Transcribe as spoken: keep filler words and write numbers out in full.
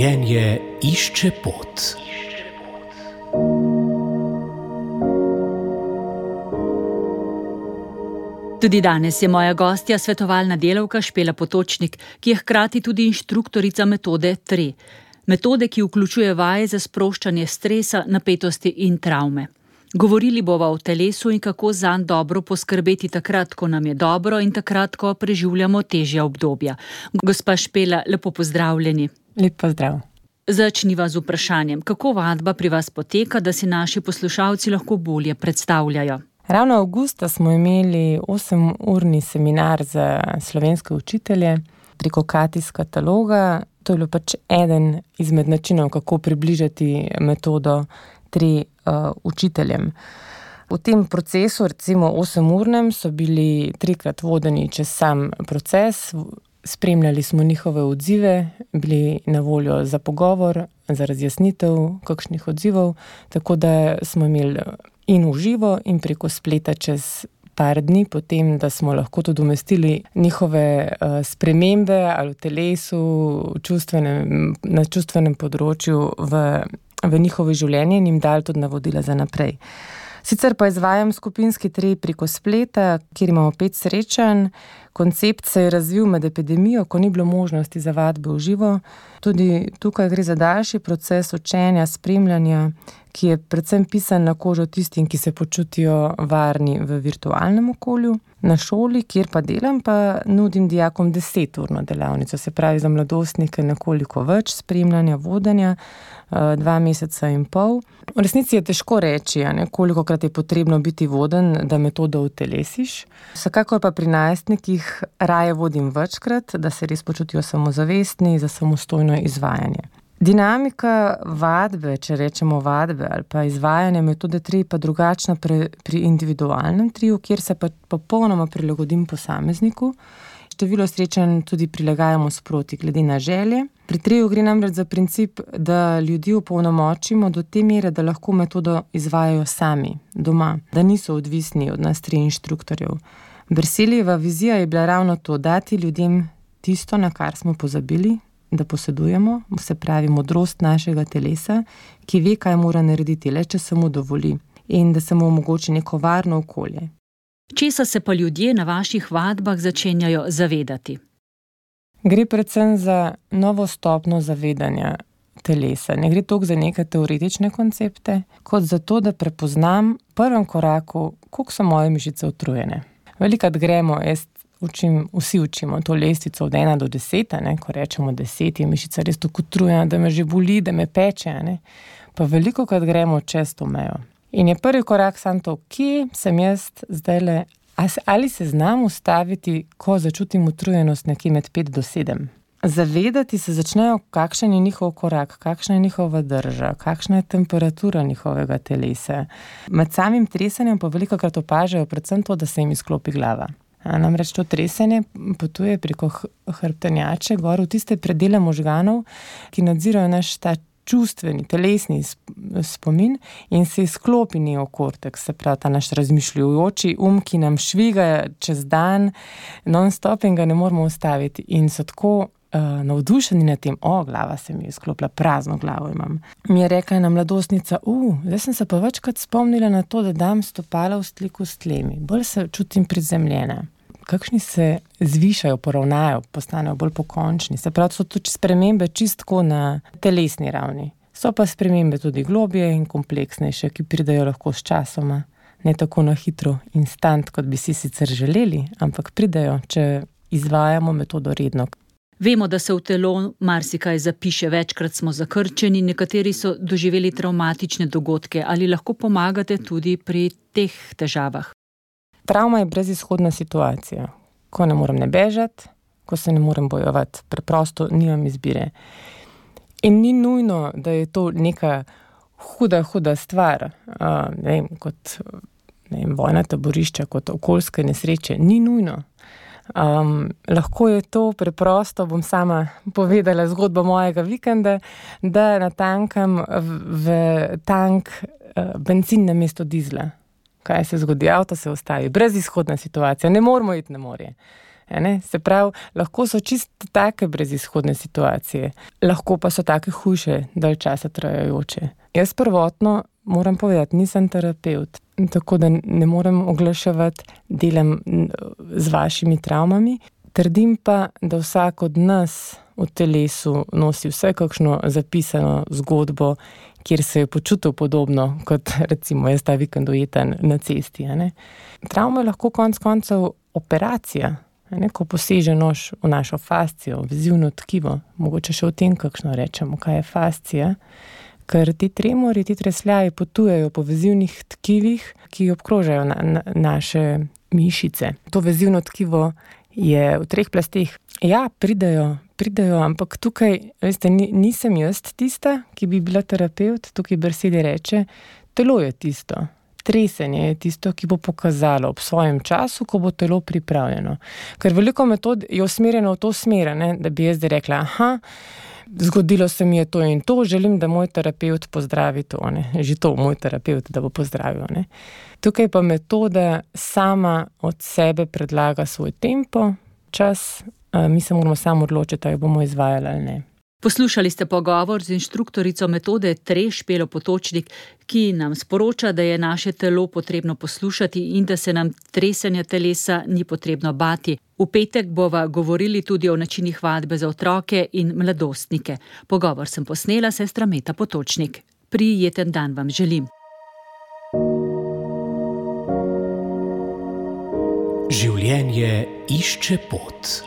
Življenje išče pot. Tudi danes je moja gostja svetovalna delavka Špela Potočnik, ki je hkrati tudi inštruktorica metode tri. Metode, ki vključuje vaje za sproščanje stresa, napetosti in travme. Govorili bova o telesu in kako zanj dobro poskrbeti takrat, ko nam je dobro in takrat, ko preživljamo težja obdobja. Gospa Špela, lepo pozdravljeni. Lep pozdrav. Začniva z vprašanjem, kako vadba pri vas poteka, da si naši poslušalci lahko bolje predstavljajo. Ravno avgusta smo imeli osemurni seminar za slovenske učitelje preko Katis kataloga. To je bilo pač eden izmed načinov, kako približati metodo tri uh, učiteljem. V tem procesu, recimo osemurnem, so bili trikrat vodeni čez sam proces, spremljali smo njihove odzive, bili na voljo za pogovor, za razjasnitev kakšnih odzivov, tako da smo imeli in v živo in preko spleta čez par dni, potem, da smo lahko tudi umestili njihove uh, spremembe ali v telesu, v čustvenem, na čustvenem področju v, v njihovo življenje in jim dali tudi navodila za naprej. Sicer pa izvajam skupinski tri preko spleta, kjer imamo pet srečanj. Koncept se je razvil med epidemijo, ko ni bilo možnosti za vadbe v živo. Tudi tukaj gre za daljši proces učenja, spremljanja, ki je predvsem pisan na kožo tistim, ki se počutijo varni v virtualnem okolju. Na šoli, kjer pa delam, pa nudim dijakom deseturno delavnico, se pravi za mladostnike nekoliko več spremljanja, vodenja, dva meseca in pol. V resnici je težko reči, ne, kolikokrat je potrebno biti voden, da metodo utelesiš. Vsekakor pa pri najstnikih raje vodim večkrat, da se res počutijo samozavestni za samostojno izvajanje. Dinamika vadbe, če rečemo vadbe, ali pa izvajanje metode tri pa drugačna pri, pri individualnem triju, kjer se pa popolnoma prilagodim posamezniku. Število srečanj tudi prilagajamo sproti glede na želje. Pri triju gre namreč za princip, da ljudi opolnomočimo do te mere, da lahko metodo izvajajo sami, doma, da niso odvisni od nas tri inštruktorjev. Berselijeva vizija je bila ravno to, dati ljudem tisto, na kar smo pozabili, da posedujemo, se pravi modrost našega telesa, ki ve, kaj mora narediti, le če se mu dovoli, in da se mu omogoči neko varno okolje. Česa se pa ljudje na vaših vadbah začenjajo zavedati? Gre predvsem za novo stopnjo zavedanja telesa. Ne gre toliko za neke teoretične koncepte, kot za to, da prepoznam v prvem koraku, koliko so moje mišice utrujene. Velikokrat gremo, jaz učim, vsi učimo to lestvico od ena do deseta, ne, ko rečemo deset, je mišica res tako utrujena, da me že boli, da me peče, ne. Pa velikokrat gremo čez to mejo. In je prvi korak sam to, kje sem jaz zdajle, ali se znam ustaviti, ko začutim utrujenost nekje med pet do sedem. Zavedati se začnejo, kakšen je njihov korak, kakšna je njihova drža, kakšna je temperatura njihovega telesa. Med samim tresanjem pa velikokrat opažajo predvsem to, da se jim izklopi glava. A namreč to tresenje potuje preko hrbtenjače gor v tiste predele možganov, ki nadzirajo naš ta čustveni, telesni spomin in se izklopi neokorteks, se pravi ta naš razmišljujoči um, ki nam šviga čez dan, non-stop in ga ne moramo ustaviti. In so tako uh, navdušeni nad tem, o, glava se mi je izklopila, prazno glavo imam. Mi je rekla ena mladostnica, uh, zdaj sem se pa večkrat spomnila na to, da dam stopala v stiku s tlemi, bolj se čutim prizemljena. Kakšni se zvišajo, poravnajo, postanejo bolj pokončni. Se pravi, so tudi spremembe čistko na telesni ravni. So pa spremembe tudi globje in kompleksnejše, ki pridejo lahko s časoma. Ne tako na hitro, instant, kot bi si sicer želeli, ampak pridejo, če izvajamo metodo redno. Vemo, da se v telo marsikaj zapiše, večkrat smo zakrčeni, nekateri so doživeli travmatične dogodke. Ali lahko pomagate tudi pri teh težavah? Travma je brezizhodna situacija, ko ne morem ne bežati, ko se ne morem bojevati, preprosto nimam izbire. In ni nujno, da je to neka huda, huda stvar, uh, ne vem, kot ne vem, vojna taborišča, kot okoljske nesreče, ni nujno. Um, lahko je to preprosto, bom sama povedala zgodbo mojega vikenda, da natankam v, v tank uh, bencin namesto dizla. Kaj se zgodi? Avto se ustavi, brezizhodna situacija, ne moramo iti na morje. Ne? Se pravi, lahko so čisto take brezizhodne situacije, lahko pa so take hujše, dalj časa trajajoče. Jaz prvotno moram povedati, nisem terapevt, tako da ne morem oglaševati, delam z vašimi travmami. Trdim pa, da vsak od nas v telesu nosi vse kakšno zapisano zgodbo, kjer se je počutil podobno, kot recimo jaz ta vikend ujeten na cesti. Ne? Travma je lahko konec koncev operacija, ne? Ko poseže nož v našo fascijo, vezivno tkivo. Mogoče še o tem kakšno rečemo, kaj je fascija. Ker ti tremori, ti tresljaji potujejo po vezivnih tkivih, ki obkrožajo na, na, naše mišice. To vezivno tkivo je v treh plasteh. Ja, pridejo, pridejo, ampak tukaj, veste, nisem jaz tista, ki bi bila terapevt, tukaj besede reče, telo je tisto. Tresenje je tisto, ki bo pokazalo ob svojem času, ko bo telo pripravljeno. Ker veliko metod je usmerjeno v to smer, ne, da bi jaz zdaj rekla, aha, zgodilo se mi je to in to, želim, da moj terapevt pozdravi to, ne. Že to moj terapevt, da bo pozdravil, ne. Tukaj pa metoda sama od sebe predlaga svoj tempo, čas, mi se moramo samo odločiti, ali bomo izvajali ali ne. Poslušali ste pogovor z inštruktorico metode T R E Špelo Potočnik, ki nam sporoča, da je naše telo potrebno poslušati in da se nam tresenja telesa ni potrebno bati. V petek bova govorili tudi o načinih vadbe za otroke in mladostnike. Pogovor sem posnela, sestra Meta Potočnik. Prijeten dan vam želim. Življenje išče pot.